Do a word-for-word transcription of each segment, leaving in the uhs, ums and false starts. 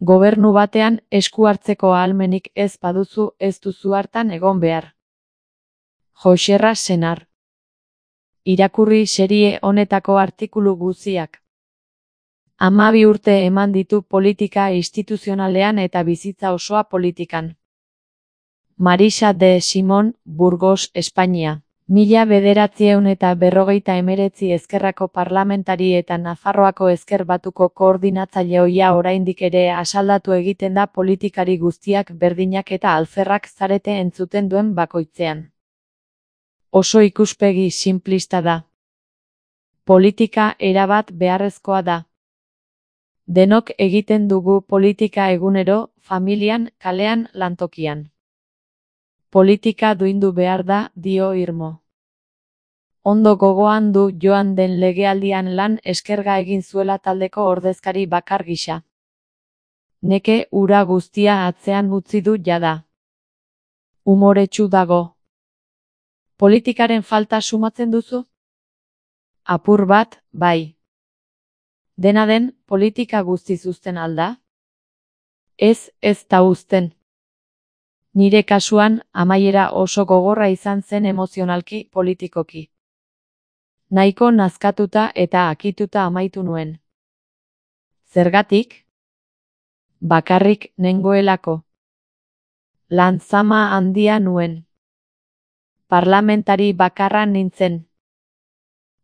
Gobernu batean esku hartzeko ahalmenik ez baduzu ez duzu hartan egon behar. Joxerra Senar. Irakurri serie honetako artikulu guztiak. Hamabi urte eman ditu politika instituzionalean eta bizitza osoa politikan. Marisa de Simón, Burgos, Espainia. Mila bederatziehun eta berrogeita hemeretzi ezkerrako parlamentari eta Nafarroako ezker batuko koordinatzaile ohia oraindik ere asaldatu egiten da politikari guztiak berdinak eta alferrak zarete entzuten duen bakoitzean. Oso ikuspegi sinplista da. Politika erabat beharrezkoa da. Denok egiten dugu politika egunero, familian, kalean, lantokian. Politika duindu behar da, dio Irmo. Ondo gogoan du joan den legealdian lan eskerga egin zuela taldeko ordezkari bakar gisa. Neke ura guztia atzean utzi du jada. Umoretsu dago. Politikaren falta sumatzen duzu? Apur bat, bai. Dena den, politika guztiz uzten alda? Ez, ez da uzten. Nire kasuan, amaiera oso gogorra izan zen emozionalki, politikoki. Nahiko nazkatuta eta akituta amaitu nuen. Zergatik? Bakarrik nengoelako. Lanzama handia nuen. Parlamentari bakarra nintzen.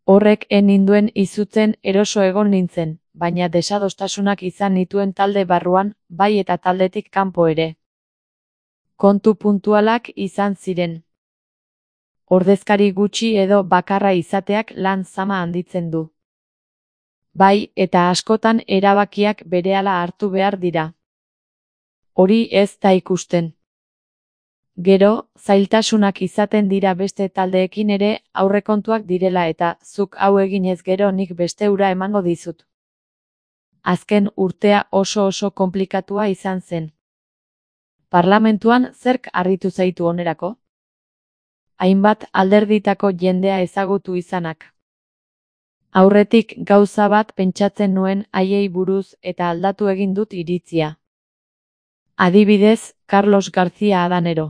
Horrek en ninduen izutzen eroso egon nintzen, baina desadostasunak izan nituen talde barruan, bai eta taldetik kanpo ere. Kontu puntualak izan ziren. Ordezkari gutxi edo bakarra izateak lan zama handitzen du. Bai eta askotan erabakiak berehala hartu behar dira. Hori ez da ikusten. Gero, zailtasunak izaten dira beste taldeekin ere aurrekontuak direla eta zuk hau eginez gero nik beste ura emango dizut. Azken urtea oso oso konplikatua izan zen. Parlamentuan zerk harritu zaitu onerako? Hainbat alderditako jendea ezagutu izanak. Aurretik gauza bat pentsatzen nuen haiei buruz eta aldatu egin dut iritzia. Adibidez, Carlos García Adanero.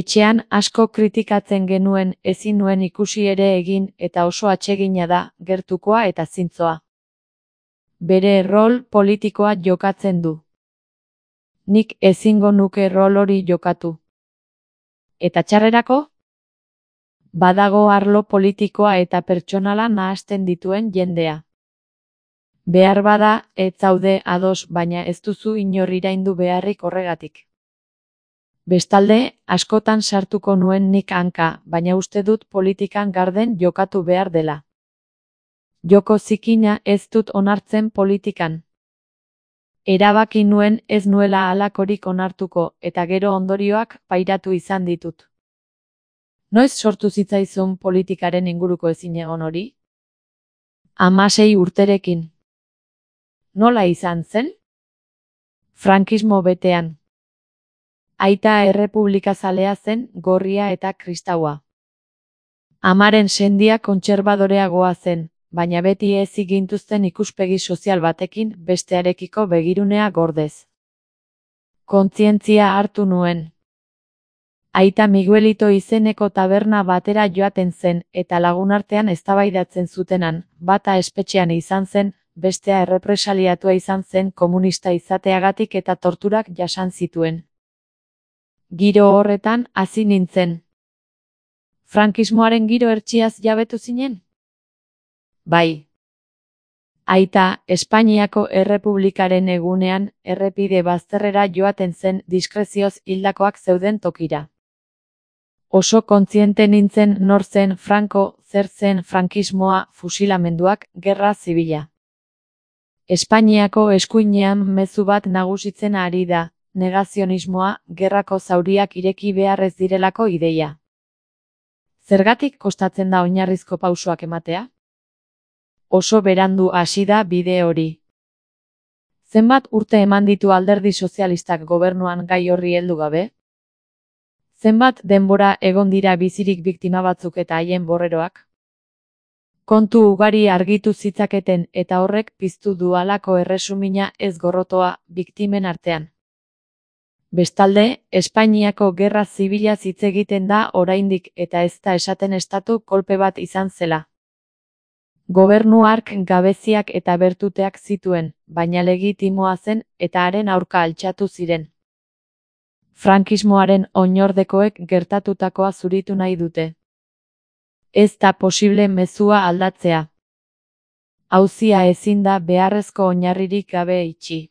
Etxean asko kritikatzen genuen ezin nuen ikusi ere egin eta oso atsegina da, gertukoa eta zintzoa. Bere rol politikoa jokatzen du. Nik ezingo nuke rol hori jokatu. Eta txarrerako? Badago arlo politikoa eta pertsonala nahasten dituen jendea. Behar bada, ez zaude ados baina ez duzu inor iraindu beharrik horregatik. Bestalde, askotan sartuko nuen nik hanka, baina uste dut politikan garden jokatu behar dela. Joko zikina ez dut onartzen politikan. Erabaki nuen ez nuela halakorik onartuko, eta gero ondorioak pairatu izan ditut. Noiz sortu zitzaizun politikaren inguruko ezinegon hori? Hamasei urterekin. Nola izan zen? Frankismo betean. Aita errepublikazalea zen, gorria eta kristaua. Amaren sendia kontserbadoreagoa zen, baina beti ez igintuzten ikuspegi sozial batekin bestearekiko begirunea gordez. Kontzientzia hartu nuen. Aita Miguelito izeneko taberna batera joaten zen eta lagunartean eztabaidatzen zutenan, bata espetxean izan zen, bestea errepresaliatua izan zen komunista izateagatik eta torturak jasan zituen. Giro horretan hasi nintzen. Frankismoaren giro hertsiaz jabetu zinen? Bai. Aita, Espainiako Errepublikaren egunean errepide bazterrera joaten zen diskrezioz hildakoak zeuden tokira. Oso kontziente nintzen nor zen Franco, zer zen frankismoa, fusilamenduak, gerra zibila. Espainiako eskuinean mezu bat nagusitzen ari da, negazionismoa, gerrako zauriak ireki behar ez direlako ideia. Zergatik kostatzen da oinarrizko pausoak ematea? Oso berandu hasi da bide hori. Zenbat urte eman ditu alderdi sozialistak gobernuan gai horri heldu gabe? Zenbat denbora egon dira bizirik biktima batzuk eta haien borreroak? Kontu ugari argitu zitzaketen eta horrek piztu du halako erresumina ez gorrotoa biktimen artean. Bestalde, Espainiako gerra zibilaz hitz egiten da oraindik eta ez da esaten estatu kolpe bat izan zela. Gobernu hark gabeziak eta bertuteak zituen, baina legitimoa zen eta haren aurka altxatu ziren. Frankismoaren oinordekoek gertatutakoa zuritu nahi dute. Ez da posible mezua aldatzea. Auzia ezin da beharrezko oinarririk gabe itxi.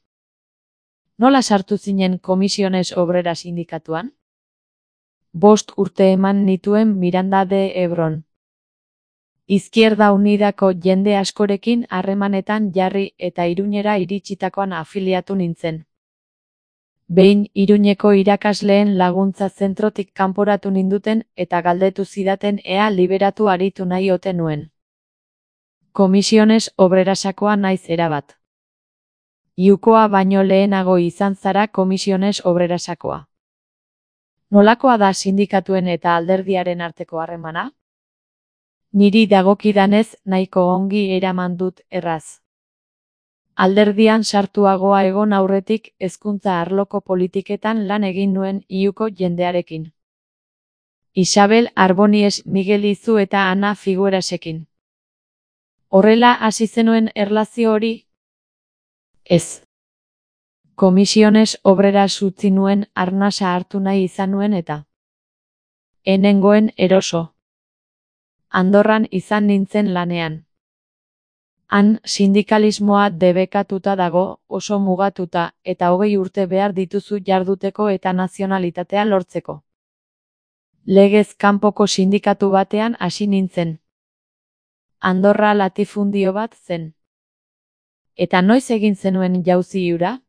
Nola sartu zinen Comisiones Obreras sindikatuan? Bost urte eman nituen Miranda de Ebron. Izquierda Unidako jende askorekin harremanetan jarri eta Iruñera iritsitakoan afiliatu nintzen. Behin Iruñeko irakasleen laguntza zentrotik kanporatu ninduten eta galdetu zidaten ea liberatu aritu nahi ote nuen. Comisiones Obrerasakoa naiz erabat. Iukoa baino lehenago izan zara Comisiones Obrerasakoa. Nolakoa da sindikatuen eta alderdiaren arteko harremana? Niri dagokidanez nahiko ongi eraman dut erraz. Alderdian sartuagoa egon aurretik hezkuntza arloko politiketan lan egin nuen Iuko jendearekin. Isabel Arbonies, Miguel Izu eta Ana Figuerasekin. Horrela hasi zenuen erlazio hori? Ez. Comisiones Obreras utzi nuen arnasa hartu nahi izan nuen eta enengoen eroso. Andorran izan nintzen lanean. Han sindikalismoa debekatuta dago, oso mugatuta, eta hogei urte behar dituzu jarduteko eta nazionalitatea lortzeko. Legez kanpoko sindikatu batean hasi nintzen. Andorra latifundio bat zen. Eta noiz egin zenuen jauzi hura?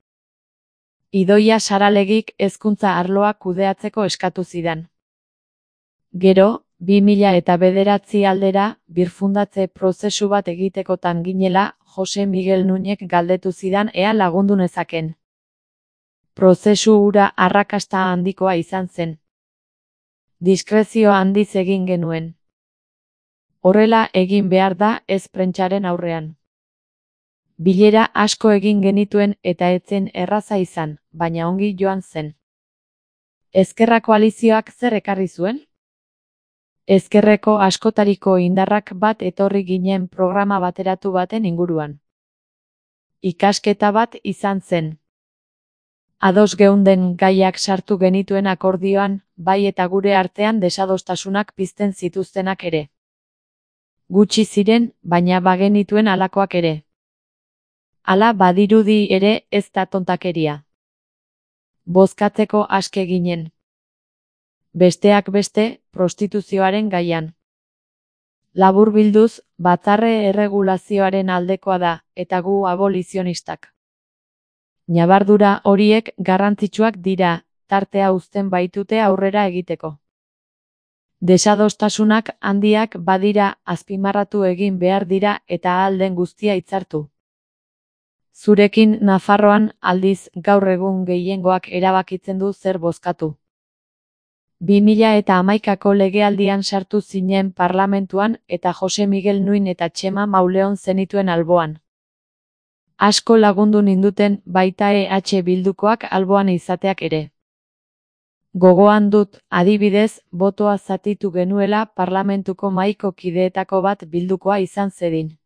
Idoia Saralegik hezkuntza arloa kudeatzeko eskatu zidan. Gero, bi mila eta bederatzi aldera, birfundatze prozesu bat egitekotan ginela, Jose Miguel Nuñek galdetu zidan ea lagundu nezaken. Prozesu hura arrakasta handikoa izan zen. Diskrezio handiz egin genuen. Horrela egin behar da ez prentsaren aurrean. Bilera asko egin genituen eta etzen erraza izan, baina ongi joan zen. Ezkerra koalizioak zer ekarri zuen? Ezkerreko askotariko indarrak bat etorri ginen programa bateratu baten inguruan. Ikasketa bat izan zen. Ados geunden gaiak sartu genituen akordioan, bai eta gure artean desadostasunak pizten zituztenak ere. Gutxi ziren, baina bagenituen halakoak ere. Hala badirudi ere ez da tontakeria. Bozkatzeko aske ginen. Besteak beste, prostituzioaren gaian. Laburbilduz, batzarre erregulazioaren aldekoa da, eta gu abolizionistak. Ñabardura horiek garrantzitsuak dira, tartea uzten baitute aurrera egiteko. Desadostasunak handiak badira azpimarratu egin behar dira eta ahal den guztia hitzartu. Zurekin Nafarroan aldiz gaur egun gehiengoak erabakitzen du zer bozkatu. bi mila eta hamaikako legealdian sartu zinen parlamentuan eta Jose Miguel Nuin eta Txema Mauleon zenituen alboan. Asko lagundu ninduten baita E H Bildukoak alboan izateak ere. Gogoan dut, adibidez, botoa zatitu genuela parlamentuko mahaiko kideetako bat Bildukoa izan zedin.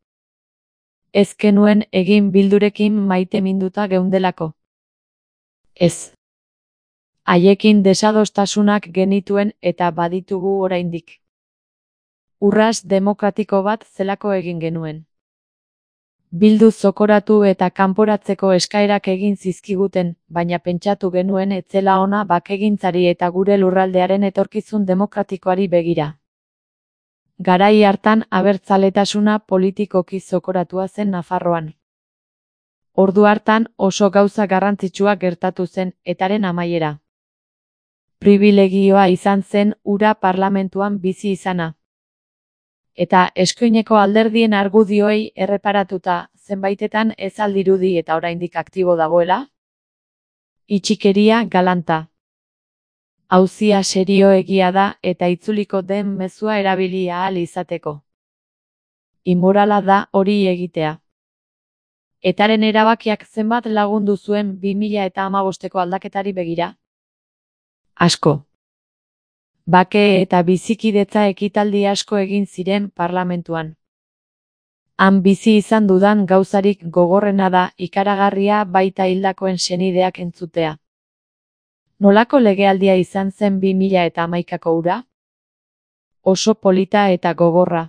Ez genuen egin Bildurekin maiteminduta geundelako. Ez. Haiekin desadostasunak genituen eta baditugu oraindik. Urras demokratiko bat zelako egin genuen. Bildu zokoratu eta kanporatzeko eskaerak egin zizkiguten, baina pentsatu genuen etzela ona bakegintzari eta gure lurraldearen etorkizun demokratikoari begira. Garai hartan abertzaletasuna politikoki zokoratua zen Nafarroan. Ordu hartan oso gauza garrantzitsua gertatu zen etaren amaiera. Pribilegioa izan zen hura parlamentuan bizi izana. Eta eskuineko alderdien argudioei erreparatuta zenbaitetan ez aldirudi eta oraindik aktibo dagoela? Itxikeria galanta. Auzia serioegia da eta itzuliko den mezua erabili ahal izateko. Imorala da hori egitea. Etaren erabakiak zenbat lagundu zuen bi mila eta hamabosteko aldaketari begira? Asko. Bake eta bizikidetza ekitaldi asko egin ziren parlamentuan. Han bizi izan dudan gauzarik gogorrena da ikaragarria baita hildakoen senideak entzutea. Nolako legealdia izan zen bi mila eta hamaikako hura? Oso polita eta gogorra.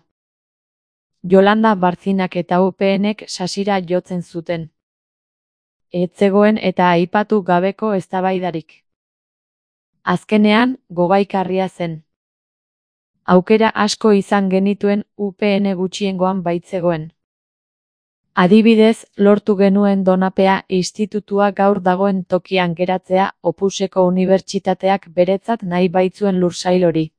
Yolanda Barzinak eta U P Nek sasira jotzen zuten. Ez zegoen eta aipatu gabeko eztabaidarik. Azkenean, gogaikarria zen. Aukera asko izan genituen U P N gutxiengoan baitzegoen. Adibidez, lortu genuen Donapea institutua gaur dagoen tokian geratzea Opuseko unibertsitateak beretzat nahi baitzuen lursail hori.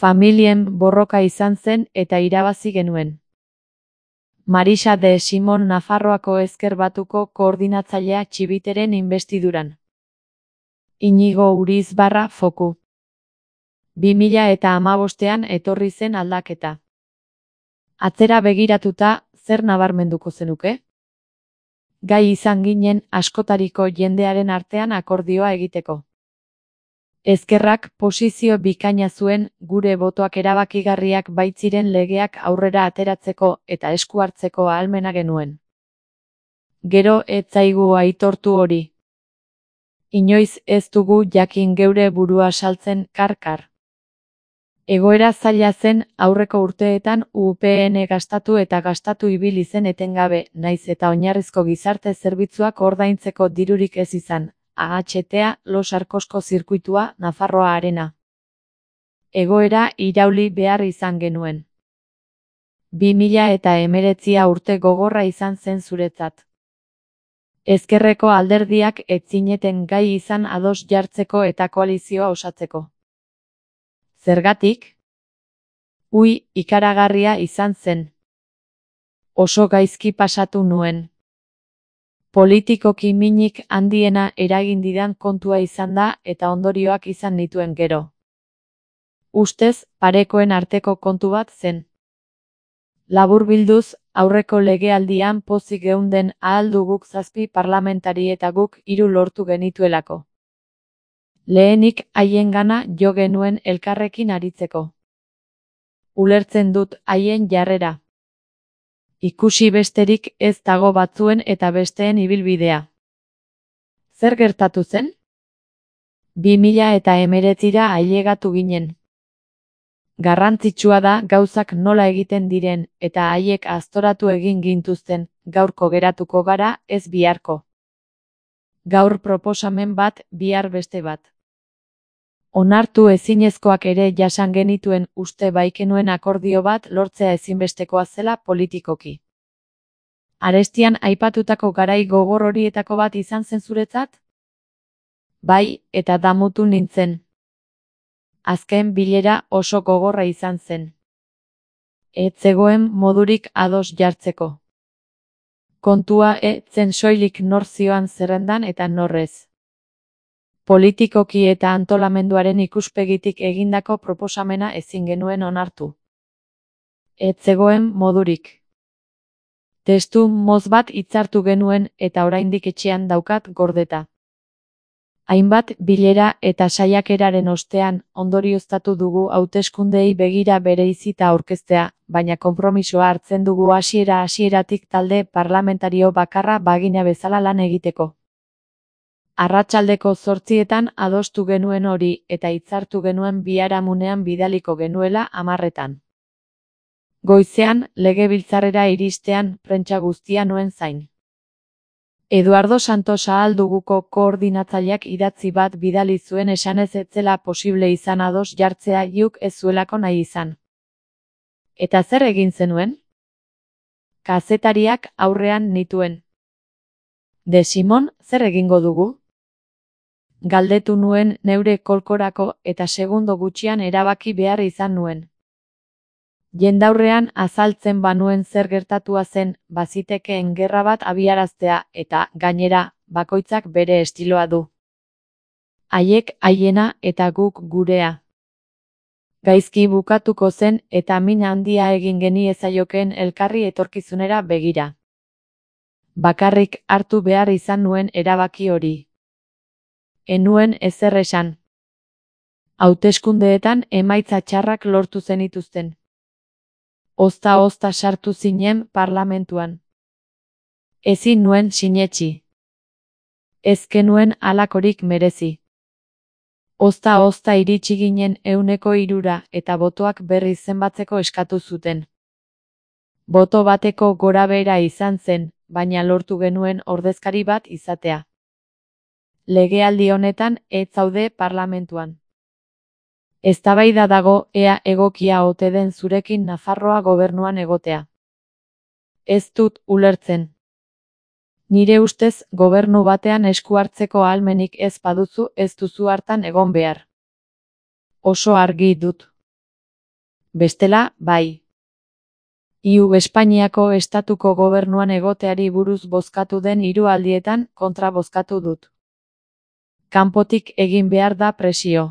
Familien borroka izan zen eta irabazi genuen. Marisa de Simon Nafarroako Ezker Batuko koordinatzailea Txibiteren inbestiduran. Inigo Urizbarra Foku. bi mila eta hamabostean etorri zen aldaketa. Atzera begiratuta, zer nabarmenduko zenuke? Gai izan ginen askotariko jendearen artean akordioa egiteko. Ezkerrak posizio bikaina zuen gure botoak erabakigarriak baitziren legeak aurrera ateratzeko eta esku hartzeko ahalmena genuen. Gero ez zaigu aitortu hori. Inoiz ez dugu jakin geure burua saltzen karkar. Egoera zaila zen aurreko urteetan U P N gastatu eta gastatu ibili zen etengabe, naiz eta oinarrizko gizarte zerbitzuak ordaintzeko dirurik ez izan. A H T-a, Los Arkosko zirkuitua, Nafarroa Arena. Egoera irauli behar izan genuen. bi mila eta hemeretzia urte gogorra izan zen zuretzat. Ezkerreko alderdiak ez zineten gai izan ados jartzeko eta koalizioa osatzeko. Zergatik? Ui, ikaragarria izan zen. Oso gaizki pasatu nuen. Politikoki minik handiena eragin didan kontua izan da eta ondorioak izan nituen gero. Ustez, parekoen arteko kontu bat zen. Laburbilduz, aurreko legealdian pozik geunden ahal duguk zazpi parlamentari eta guk hiru lortu genituelako. Lehenik haiengana jo genuen elkarrekin aritzeko. Ulertzen dut haien jarrera. Ikusi besterik ez dago batzuen eta besteen ibilbidea. Zer gertatu zen? bi mila eta hemeretzira ailegatu ginen. Garrantzitsua da gauzak nola egiten diren eta haiek aztoratu egin gintuzten, gaurko geratuko gara ez biharko. Gaur proposamen bat, bihar beste bat. Onartu ezinezkoak ere jasan genituen uste baikenuen akordio bat lortzea ezinbestekoa zela politikoki. Arestian aipatutako garai gogor horietako bat izan zen zuretzat? Bai, eta damutu nintzen. Azken bilera oso gogorra izan zen. Ez zegoen modurik ados jartzeko. Kontua ez zen soilik nor zioan zerrendan eta norrez. Politikoki eta antolamenduaren ikuspegitik egindako proposamena ezin genuen onartu. Ez zegoen modurik. Testu moz bat hitzartu genuen eta oraindik etxean daukat gordeta. Hainbat bilera eta saiakeraren ostean ondorioztatu dugu hauteskundeei begira bereizita aurkeztea, baina konpromisoa hartzen dugu hasiera hasieratik talde parlamentario bakarra bagina bezala lan egiteko. Arratsaldeko zortzietan adostu genuen hori eta hitzartu genuen biharamunean bidaliko genuela hamarretan. Goizean, legebiltzarrera iristean, prentsa guztia nuen zain. Eduardo Santos ahal duguko koordinatzaileak idatzi bat bidali zuen esanez ez zela posible izan ados jartzea iuk ez zuelako nahi izan. Eta zer egin zenuen? Kazetariak aurrean nituen. De Simon, zer egingo dugu? Galdetu nuen neure kolkorako eta segundo gutxian erabaki behar izan nuen. Jendaurrean azaltzen banuen zer gertatua zen, bazitekeen gerra bat abiaraztea eta, gainera, bakoitzak bere estiloa du. Haiek haiena eta guk gurea. Gaizki bukatuko zen eta min handia egin geniezaiokeen elkarri etorkizunera begira. Bakarrik hartu behar izan nuen erabaki hori. Enuen ezer esan. Hauteskundeetan emaitza txarrak lortu zenituzten. Ozta-ozta sartu zinen parlamentuan. Ezin nuen sinetsi. Ez genuen halakorik merezi. Ozta-ozta iritsi ginen ehuneko hirura eta botoak berriz zenbatzeko eskatu zuten. Boto bateko gorabehera izan zen, baina lortu genuen ordezkari bat izatea. Legealdi honetan ez zaude parlamentuan. Eztabaida dago ea egokia ote den zurekin Nafarroa gobernuan egotea. Ez dut ulertzen. Nire ustez gobernu batean esku hartzeko ahalmenik ez baduzu ez duzu hartan egon behar. Oso argi dut. Bestela, bai. Iu Espainiako estatuko gobernuan egoteari buruz bozkatu den hiru aldietan kontra bozkatu dut. Kanpotik egin behar da presio.